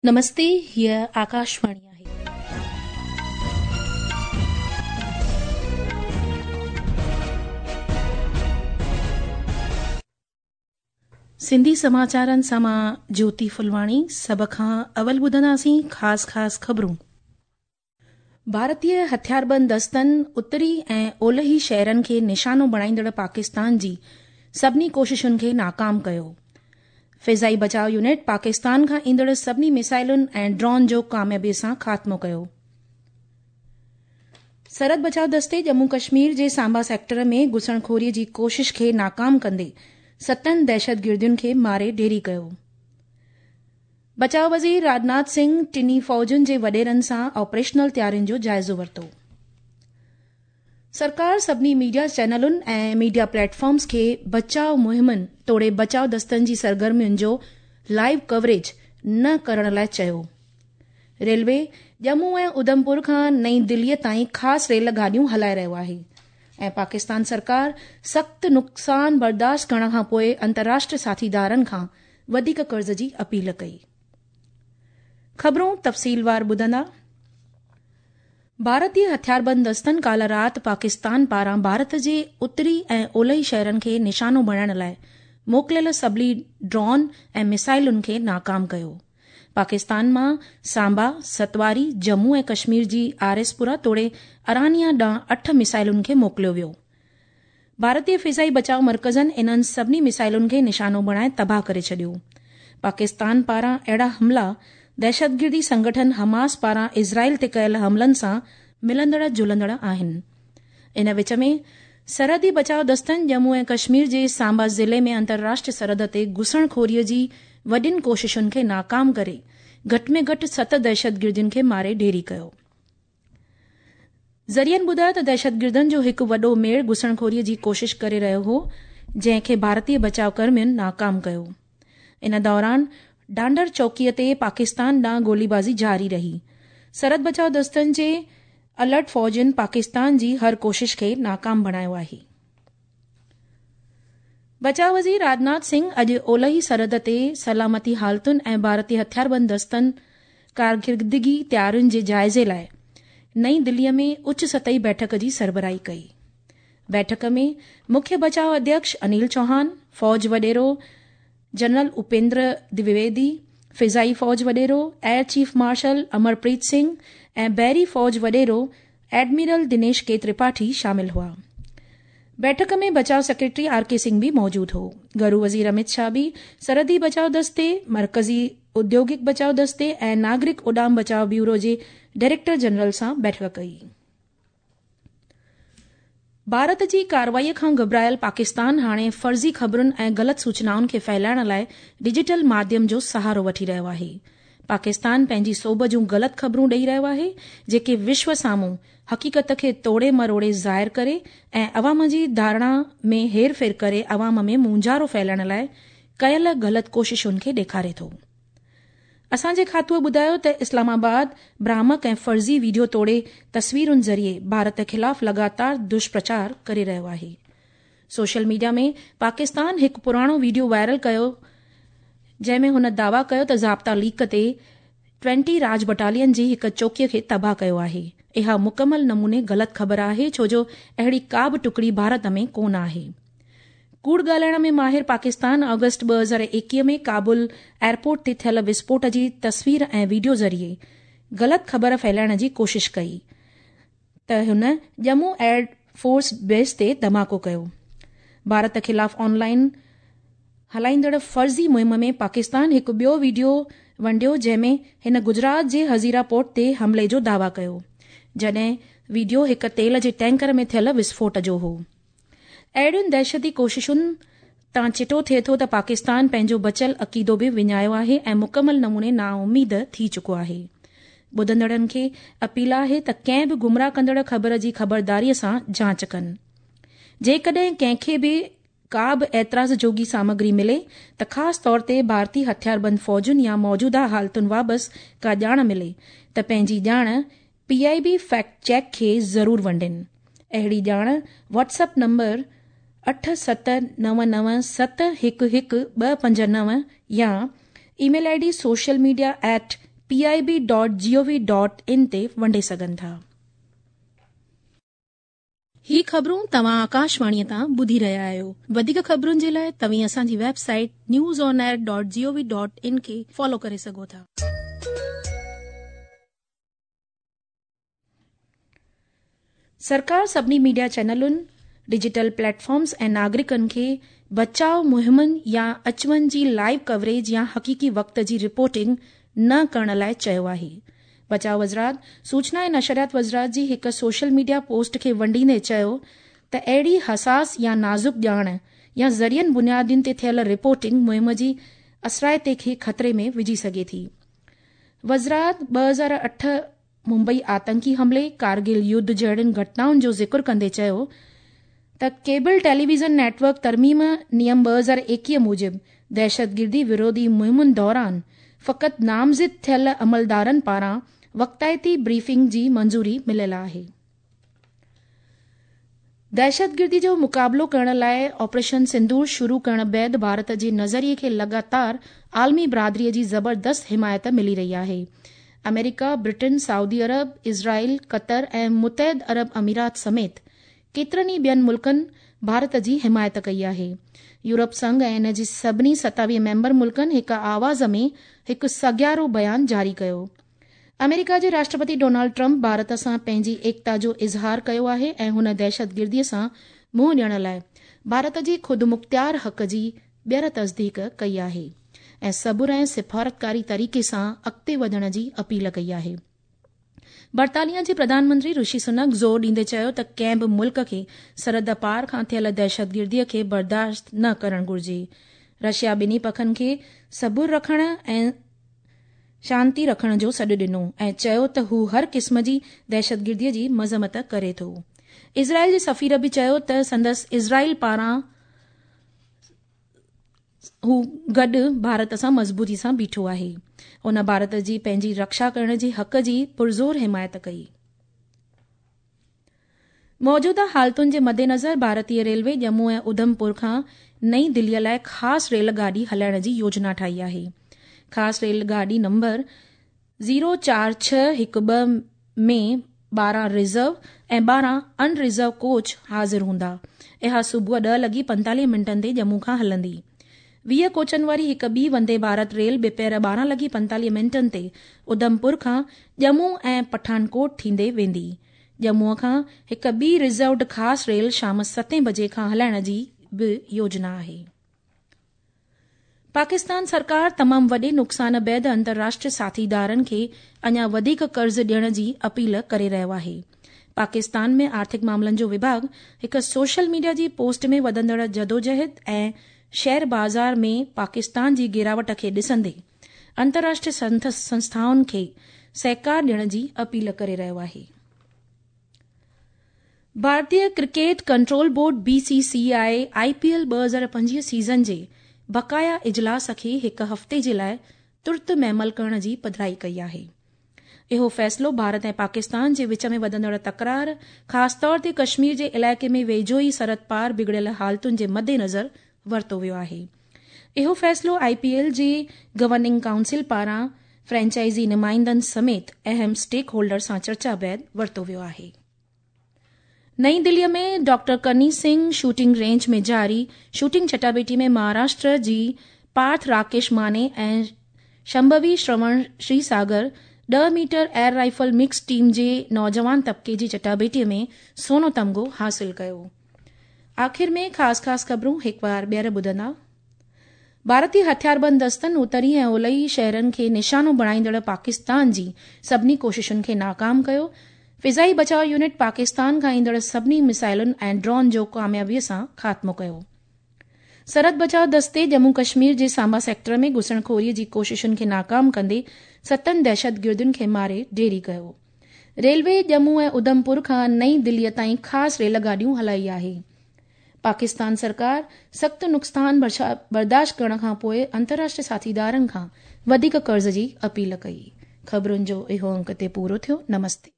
نمستي هيء آڪاشواڻي آهي. سنڌي سماچارن سان مان جيوتي ڦلواڻي سڀ کان اول ٻڌنداسين خاص خاص خبرون. ڀارتي هٿياربند دستن اتري ۽ اولهي شهرن کي نشانو بڻائيندڙ پاڪستان جي سڀني ڪوششن کي ناڪام ڪيو. فضائي بچاء يونٽ پاڪستان کان ايندڙ سڀني ميزائلن ۽ ڊرون جو ڪاميابي سان خاتمو ڪيو. سرحد بچاء دستي ڄمون ڪشمير جي سانبا سيڪٽر ۾ گهسڻخوري جي ڪوشش کي ناڪام ڪندي ستن دهشتگردن کي ماري ڍيري ڪيو. بچاء وزير راجناٿ سنگهه ٽنهي فوجن جي وڏيرن سان آپريشنل تيارين جو جائزو ورتو. سرڪار سڀني ميڊيا چينلن ۽ ميڊيا پليٽ فارمز کي بچاء مهمن توڙي بچاء دستن جي سرگرمين جو لائيو ڪوريج نه ڪرڻ لاء چيو. ريلوي ڄمون ۽ اڌمپور کان نئين دليء تائين خاص ريل گاڏيون هلائي رهيو آهي ۽ پاڪستان سرڪار سخت نقصان برداشت ڪرڻ کان پوء انترراشٽريه ساٿيدارن کان وڌيڪ قرض جي اپيل ڪئي. خبرون تفصيلوار ٻڌندا. ڀارتي هٿياربند دستن ڪالهه رات پاڪستان پاران ڀارت جي اتري ۽ اولهي شهرن کي نشانو بڻائڻ لاء موڪليل سڀني ڊرون ۽ ميزائلن کي ناڪام ڪيو. پاڪستان مان سانبا، ستواري، ڄمون ۽ ڪشمير جي آر ايس پورا توڙي ارانيا ڏانهن اٺ ميزائلن کي موڪليو ويو. ڀارتي فضائي بچاء مرڪزن انهن سڀني ميزائلن کي نشانو بڻائي تباهه ڪري ڇڏيو. پاڪستان پاران اهڙا حملا دهشتگردي سنگٺن حماس پاران اسرائيل تي ڪيل حملن سان ملندڙ جلندڙ آهن. ان وچ ۾ سرحدي بچاء دستن ڄمون ۽ ڪشمير جي سانبا ضلعي ۾ انترراشٽريه سرحد تي گهسڻخوري جي وڏين ڪوششن کي ناڪام ڪري گهٽ ۾ گهٽ ست دهشتگردن کي ماري ڍيري ڪيو. ذريعن ٻڌايو ته دهشتگردن جو هڪ وڏو ميڙ گهسڻخوري جي ڪوشش ڪري رهيو هو، جنهن کي ڀارتي بچاء ڪرمين ناڪام ڪيو. ان دوران ڍانڍر چوڪيء تي پاڪستان ڏانهن گوليبازي جاري رهي. سرحد بچاء دستن جي الرٽ فوجين پاڪستان جي هر ڪوشش کي ناڪام بڻايو آهي. بچاء وزير راجناٿ سنگهه اڄ اولهي سرحد تي سلامتي حالتن ۽ ڀارتي هٿياربند دستن ڪارڪردگي تيارين جي جائزي لاء نئين دليء ۾ اچ سطحي بيٺڪ جي سربراهي ڪئي. بيٺڪ ۾ مکيه بچاء اڌيڪش انيل چوهان، فوج وڏيرو جنرل اپيندر دويدي، فضائي فوج وڏيرو air chief marshal Amarpreet Singh ۽ بحري فوج وڏيرو ايڊمرل دنيش ڪي ترپاٺي شامل هئا. بيٺڪ ۾ بچاء سيڪريٽري آر ڪي سنگهه به موجود هو. گهرو وزير امت شاهه به سرحدي بچاء دستي، مرڪزي اوديوگڪ بچاء دستي ۽ ناگرڪ اڏام بچاء بيورو جي ڊائريڪٽر جنرل سان بيٺڪ ڪئي. ڀارت جي ڪارروائي کان گهٻرايل پاڪستان هاڻي فرضي خبرن ۽ غلط سوچنائن کي ڦهلائڻ لاء ڊجيٽل ماڌيم جو سهارو وٺي رهيو آهي. پاڪستان پنهنجي سوڀ جون غلط خبرون ڏئي رهيو آهي، جيڪي وشو سامهون حقيقت کي توڙي مروڙي ظاهر ڪري ۽ عوام جي ڌارڻا ۾ هيرڦير ڪري عوام ۾ مونجهارو ڦهلائڻ لاء ڪيل غلط ڪوششن کي ڏيکاري ٿو. اسان جي کاتوء ٻڌايو ته اسلام آباد ڀرامڪ ۽ فرضي ويڊيو توڙي تصويرن ذريعي ڀارت خلاف لڳاتار دشپرچار ڪري رهيو آهي. سوشل ميڊيا ۾ پاڪستان هڪ پراڻو ويڊيو وائرل ڪيو جنهن ۾ هن دعويٰ ڪيو ته ضابطا ليڪ تي ٽوئنٽي راج بٽالين جي هڪ چوڪي کي تباهه ڪيو آهي. اها مڪمل نموني غلط خبر آهي ڇو جو اهڙي ڪا به ٽڪڙي ڀارت ۾ ڪونه آهي. ڪوڙ ڳالهائڻ ۾ ماهر پاڪستان آگسٽ 2021 ۾ ڪابل ايئرپورٽ تي ٿيل وسڦوٽ جي تصوير ۽ ويڊيو ذريعي غلط خبر ڦهلائڻ جي ڪوشش ڪئي. ته هن ڄمون ايئر فورس بيس تي ڌماڪو ڪيو. ڀارت خلاف آن لائن هلائيندڙ فرضي مهم ۾ پاڪستان هڪ ٻيو ويڊيو ونڊيو جنهن ۾ هن گجرات جي هزيرا پورٽ تي حملي جو دعويٰ ڪيو، جڏهن ويڊيو هڪ تيل جي ٽينڪر ۾ ٿيل وسڦوٽ جو هو. اهڙين دهشتي ڪوششن تان چٽو ٿئي ٿو ته پاڪستان پنهنجو بچيل عقيدو به وڃايو آهي ۽ مڪمل نموني نااميد ٿي چڪو آهي. ٻڌندڙن کي اپيل آهي ته ڪنهن به گمراهه ڪندڙ خبر جي خبرداريء سان جاچ ڪن. جيڪڏهن ڪنهن کي به ڪا به اعتراض جوڳي سامگري ملي ته خاص طور تي ڀارتي هٿياربند فوجن يا موجوده حالتن بابت ڪا ڄاڻ ملي ته پنهنجي ڄاڻ P I B fact check کي ضرور ونڊين. اهڙي ڄاڻ واٽس اپ نمبر اٺ ست نو نو ست هڪ هڪ ٻه پنج نو يا email I D social media at P I B dot G O V dot in تي ونڊي سگهن ٿا. هي خبرون توهان آڪاشواڻيء تان ٻڌي رهيا آهيو. وڌيڪ خبرن جي لاء توهين اسان جي website news on air dot G O V dot in کي فالو ڪري سگهو ٿا. سرڪار سڀني ميڊيا چينلن، ڊجيٽل پليٽ فارمز ۽ ناگرڪن کي بچاء مهمن يا اچ وڃ جي لائيو ڪوريج يا حقيقي وقت جي رپورٽنگ نه ڪرڻ لاء چيو آهي. بچاء وزارت سوچنا ۽ نشريات وزارت جي هڪ سوشل ميڊيا پوسٽ کي ونڊيندي چيو ته اهڙي حساس يا نازڪ ڄاڻ يا ذريعن بنيادين تي ٿيل رپورٽنگ مهم جي اثرائتي کي خطري ۾ وجهي سگهي ٿي. وزارت 2008 ممبئي آتنڪي حملي، ڪارگل يڌ جهڙين گهٽنائن جو ذڪر ڪندي چيو ته ڪيبل ٽيليويزن نيٽ ورڪ ترميم نيم 2021 موجب دهشتگردي وروڌي مهمن دوران فقط نامزد ٿيل عملدارن پاران وقتائتي بريفنگ جي منظوري مليل آهي. دهشتگردي جو مقابلو ڪرڻ لاء آپريشن سندور شروع ڪرڻ بعد ڀارت جي نظريي کي لڳاتار عالمي برادري جي زبردست حمايت ملي رهي آهي. آمريڪا، برٽن، سعودي عرب، اسرائيل، قطر ۽ متحد عرب امارات سميت ڪيترن ئي ٻين ملڪن ڀارت جي حمايت ڪئي آهي. يورپ سنگهه ۽ ان جي سڀني 27 ميمبر ملڪن هڪ آواز ۾ هڪ سگيارو بيان جاري ڪيو. آمريڪا جي راشٽرپتي ڊونالڊ ٽرمپ ڀارت سان پنهنجي ايڪتا جو اظهار ڪيو آهي ۽ هن دهشتگردي سان منهن ڏيڻ لاء ڀارت جي خودمختيار حق جي ٻيهر تصديق ڪئي آهي ۽ صبر ۽ سفارتڪاري طريقي سان اڳتي وڌڻ جي اپيل ڪئي آهي. برطانيا جي پرڌان منتري رشي سنڪ زور ڏيندي چيو ته ڪنهن به ملڪ کي سرحد پار کان ٿيل دهشتگردي کي برداشت نه ڪرڻ گهرجي. رشيا ٻنهي پکن کي صبر رکڻ ۽ شانتي رکڻ جو سڏ ڏنو ۽ چيو ته هو هر قسم جي دهشتگردي جي مذمت ڪري ٿو. اسرائيل جي سفير به چيو ته سندس اسرائيل پاران هو گڏ ڀارت سان مضبوطي سان بيٺو آهي. هن ڀارت جي پنهنجي رڪشا ڪرڻ جي حق جي پرزور حمايت ڪئي. موجوده حالتن جي مدنظر ڀارتي ريلوي ڄمون ۽ اڌمپور کان نئين دلي لاء خاص ريل گاڏي هلائڻ جي يوجنا ٺاهي آهي. خاص ريل گاڏي نمبر 04612 ۾ 12 ريزرو ۽ 12 اڻ ريزرو ڪوچ حاضر هوندا. اها صبح 10 لڳي 45 منٽن تي ڄمون کان هلندي. 20 ڪوچن واري هڪ ٻي وندي ڀارت ريل ٻپهر 12 لڳي 45 منٽن تي اڌمپور کان ڄمون ۽ پٺانڪوٽ ٿيندي ويندي. ڄمون کان هڪ ٻي ريزروڊ خاص ريل شام 7 بجي کان هلائڻ جي به يوجنا آهي. پاڪستان سرڪار تمام وڏي نقصان بعد انترراشٽريه ساٿيدارن کي اڃا وڌيڪ قرض ڏيڻ جي اپيل ڪري رهيو آهي. پاڪستان ۾ آرٿڪ معاملن جو وڀاڳ هڪ سوشل ميڊيا جي پوسٽ ۾ وڌندڙ جدوجهد ۽ شيئر بازار ۾ پاڪستان جي گراوٽ کي ڏسندي انترراشٽريه سنسٿائن کي سهڪار ڏيڻ جي اپيل ڪري رهيو آهي. ڀارتي cricket control board, B C C I, I P L 2025 season جي بقايا اجلاس کي هڪ هفتي جي لاء ترت معمل ڪرڻ جي پڌرائي ڪئي آهي. اهو فيصلو ڀارت ۽ پاڪستان جي وچ ۾ وڌندڙ تڪرار، خاص طور تي ڪشمير جي علائقي ۾ ويجهو ئي سرحد پار بگڙيل حالتن جي مدنظر ورتو ويو آهي. اهو فيصلو آء پي ايل جي گورننگ ڪائونسل پاران فرنچائزي نمائندن سميت اهم اسٽيڪ هولڊر سان چرچا بعد ورتو ويو آهي. نئين دلي ۾ doctor Karni Singh shooting range ۾ جاري شوٽنگ چٽاڀيٽي ۾ مهاراشٽر جي پارٿ راڪيش ماني ۽ شمڀوي Shravan شريساگر 10 metre air rifle mix team جي نوجوان طبقي جي چٽاڀيٽي ۾ سونو تمغو حاصل ڪيو. آخر ۾ خاص خاص خبرون هڪ بار ٻيهر ٻڌندا. ڀارتي هٿياربند دستن اتري ۽ اولهي شهرن کي نشانو بڻائيندڙ پاڪستان جي سڀني ڪوششن کي ناڪام ڪيو. فضائي بچاء يونٽ پاڪستان کان ايندڙ سڀني ميسائلن ۽ ڊرون جو ڪاميابي سان خاتمو ڪيو. سرحد بچاء دستي ڄمون ڪشمير جي سانبا سيڪٽر ۾ گهسڻخوري جي ڪوششن کي ناڪام ڪندي ستن دهشتگردن کي ماري ڍيري ڪيو. ريلوي ڄمون ۽ اڌمپور کان نئين دلي تائين خاص ريل گاڏيون هلائي آهي. پاڪستان سرڪار سخت نقصان برداشت ڪرڻ کان پوء انترراشٽريه ساٿيدارن کان وڌيڪ قرض جي اپيل ڪئي. خبرن جو اهو انڪ اتي پورو ٿيو. نمستي.